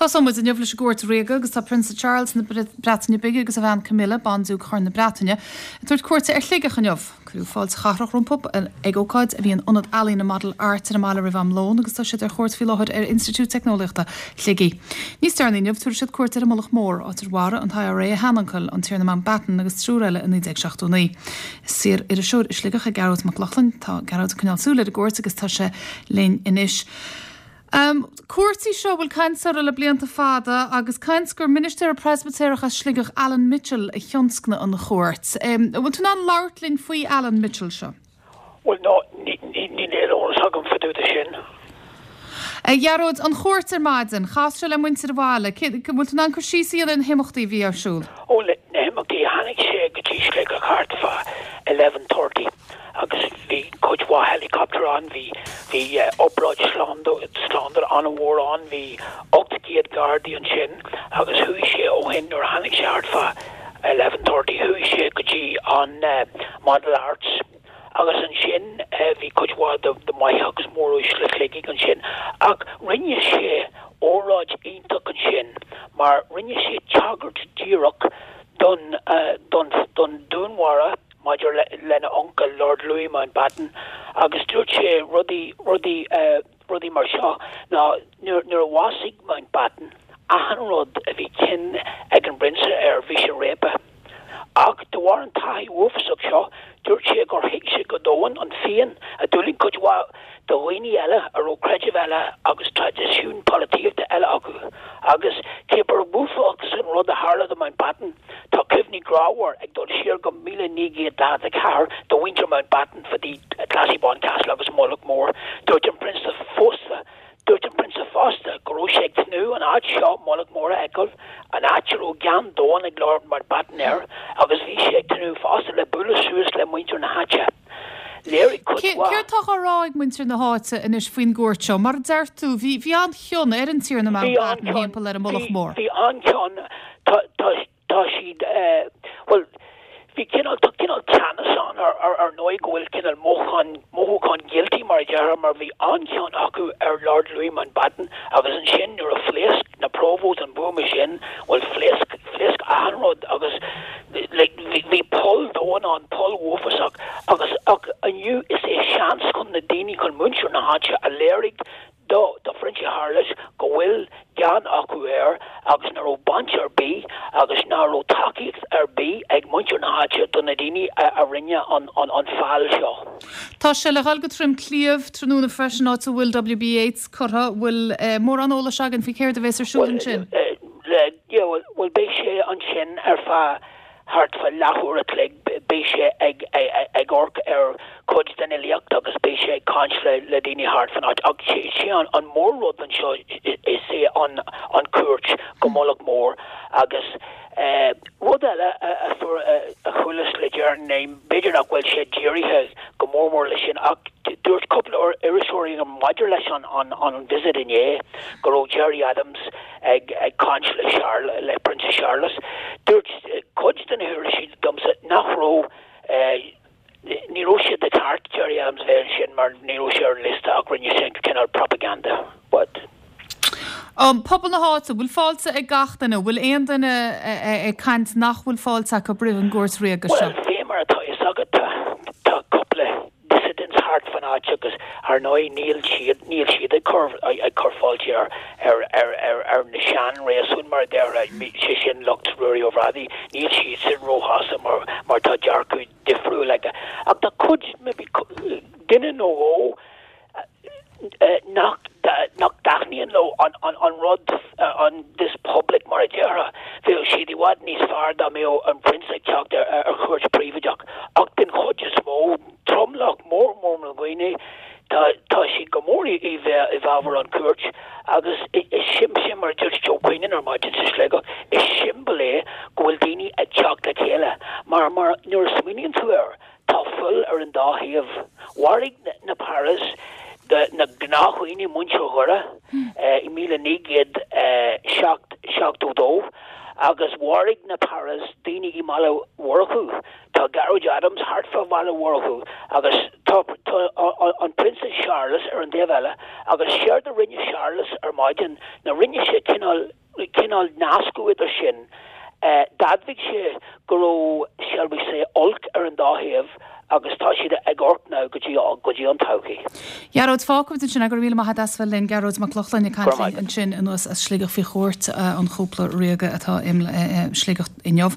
Tosóidh muid inniu leis an gCuairt Ríoga agus tá Prionsa Charles na Breataine Bige agus a bhean Camilla, Bandiúc Chorn na Breataine, ag tabhairt cuairte ar Shligeach inniu. Cuireadh fáilte chathrach rompu ag ócáid a bhí in Ionad Ealaíne Model Arts ar an mbaile roimh am lóin agus tá siad ar chuairt faoi láthair ar Institiúid Teicneolaíochta Shligigh. Níos deireanaí inniu tabharfaidh siad cuairt ar an Mullach Mór, áit ar mharaigh an t-IRA a sheanuncail, an Tiarna Mountbatten agus triúr eile i 1979. Is saor-iriseoir i Sligeach é Gearóid Mac Lochlainn. Tá Gearóid ag coinneáil súil ar an gcuairt agus tá sé linn anois. Cuairt í seo a bhfuil caint uirthi le blianta fada agus caint gur ministéara Preispitéireach as Sligeach, Alan Mitchell, a thionscnaigh an chuairt. An bhfuil tú in ann labhairt linn faoi Alan Mitchell seo? Bhuel, no, níl aon eolas agam fá dtaobh de sin. A Ghearóid, an chuairt ar maidin, chas sé le muintir an bhaile. An bhfuil tú in ann cur síos a dhéanamh ar na himeachtaí a bhí ar siúl? Ó, na himeachtaí, tháinig sé go dtí Sligeach thart fá 11:30. agus bhí cuid mhaith helicopter ann, bhí, bhí obráid slándála an-mhór ann, bhí 800 gardaí ansin agus chuaigh sé ó shin, nuair a tháinig sé thart fá 11:30 chuaigh sé go dtí an Model Arts agus ansin bhí cuid mhaith de maithe agus móruaisle Shligigh ansin ach rinne sé óráid iontach ansin mar rinne sé tagairt díreach don, don, don dúnmharú. maidir lena uncail, Lord Louis Mountbatten, agus dúirt sé rudaí, rudaí, rudaí mar seo, ná nuair, nuair a bhásaigh Mountbatten, achan rud a bhí cionn ag an bPrionsa air, bhí sé réabtha. Ach de bharr an taithí uafásach seo, dúirt sé gur thuig sé go domhain an phian a d'fhulaing cuid mhaith de dhaoine eile a raibh creideamh eile agus traidisiún polaitíochta eile acu. Agus cé gur uafásach an rud a tharla do Mountbatten, Tá cuimhní grámhar ag dul siar go 1944 do mhuintir Mountbatten fá dtaobh Classiebawn Castle agus Mullach Mór. Dúirt an Prionsa fosta Dúirt an Prionsa fosta go raibh sé ag tnúth an áit seo, Mullach Mór, a fheiceáil, an áit a raibh gean domhain ag Lord Mountbatten air, agus bhí sé ag tnúth fosta le bualadh suas le muintir na háite. Léirigh cuid mhaith. Céard tá á rá ag muintir na háite anois faoin gcuairt seo? Mar a deir tú, bhí bhí an-chion ar an Tiarna Mountbatten thimpeall ar an Mullach Mór. Bhí an-chion. Tá, tá, tá siad, bhuel, bhí cineál, tá cineál teannas ann ar, ar, ar ndóigh go bhfuil cineál mothúchán, mothúchán guilty mar a déarfá mar bhí an-chion acu ar Lord Louis Mountbatten agus ansin nuair a phléasc na Provos an buama sin, bhuel phléasc, phléasc achan rud agus like bhí, bhí poll domhain ann, poll uafásach agus ach inniu is é seans chun na daoine, chun muintir na háite a léirigh do do Phrionsa Séarlas go bhfuil gean acu air agus nach raibh baint ar bith agus nach raibh tacaíocht ar bith ag muintir na háite do na daoine a rinne an an feall seo. Tá sé le dhul go Droim Cliabh tráthnóna freisin áit a bhfuil W.B. Yeats curtha. Bhfuil mórán eolais againn faoi céard a bhéas ar siúl ansin? Bhuel, bhuel beidh sé ansin ar feadh Thart fá leathuair a chloig beidh sé ag amharc ar chuid den fhilíocht agus beidh sé ag caint le daoine thart fan áit. Ach sé an mór rud anseo is é an cuairt go Mullach Mór agus rud eile a fuair a chualas le deireanas, b'fhéidir nach bhfuil sé dírithe go mór mór leis sin ach dúirt cúpla iriseoirí maidir leis an visit inné go raibh Gerry Adams ag caint le Charles, le Prionsa Séarlas. Dúirt cuid de na hiriseoirí domsa nach raibh, ní raibh sé de cheart Gerry Adams bheith ansin mar ní raibh sé ar an liosta ach rinne sé cineál propaganda. But. Pobal na háite, bhfuil fáilte ag gach duine? Bhfuil aon duine ag caint nach bhfuil fáilte acu roimh an gcuairt ríoga seo? Bhuel, fé mar atá fhios agat, tá cúpla dissidents thart fan áit agus ar ndóigh níl siad, níl siad ag cur, ag cur fáilte ar, ar, ar, ar, ar na sean-réasúin mar a déarfá, sé sin lucht Ruairí Ó Bhrádaigh, níl siadsan róshásta mar, mar tá dearcadh difriúil aige. Ach tá cuid, maybe duine nó dhó, nach nach dtaitníonn leo an an rud an this public mar a déarfá. Bheadh siad i bhfad níos fearr dá mbeadh an Prionsa ag teacht ar ar chuairt príobháideach. Ach den chuid is mó, tromlach mór mór na ndaoine, tá tá siad go mór i i i bhfabhar an cuairt agus is sim sin mar a dúirt Joe Queenan ar maidin sa Sligeach, is siombail é go bhfuil daoine ag teacht le chéile mar mar nuair a smaoiníonn tú air, Tá fuil ar an dá thaobh. Mharaigh na Paras na gnáthdhaoine, muintir Dhoire, i 1972 agus mharaigh na Paras daoine i mBaile Mhurchú. Tá Gearóid Adams thart fá Bhaile Mhurchú agus tá an Prionsa Séarlas ar an dtaobh eile agus séard a rinne Séarlas ar maidin ná rinne sé cineál. cineál, cineál nascadh idir sin. D'admhaigh sé go raibh, shall we say, olc ar an dá thaobh agus tá siad ag amharc now go dtí, go dtí an todhchaí. Gearóid, fágfaimid ansin é. Go raibh míle maith agat as bheith linn. Gearóid Mac Lochlainn ag caint linn ansin anuas as Sligeach faoi chuairt an chúpla ríoga atá i Sligeach inniu.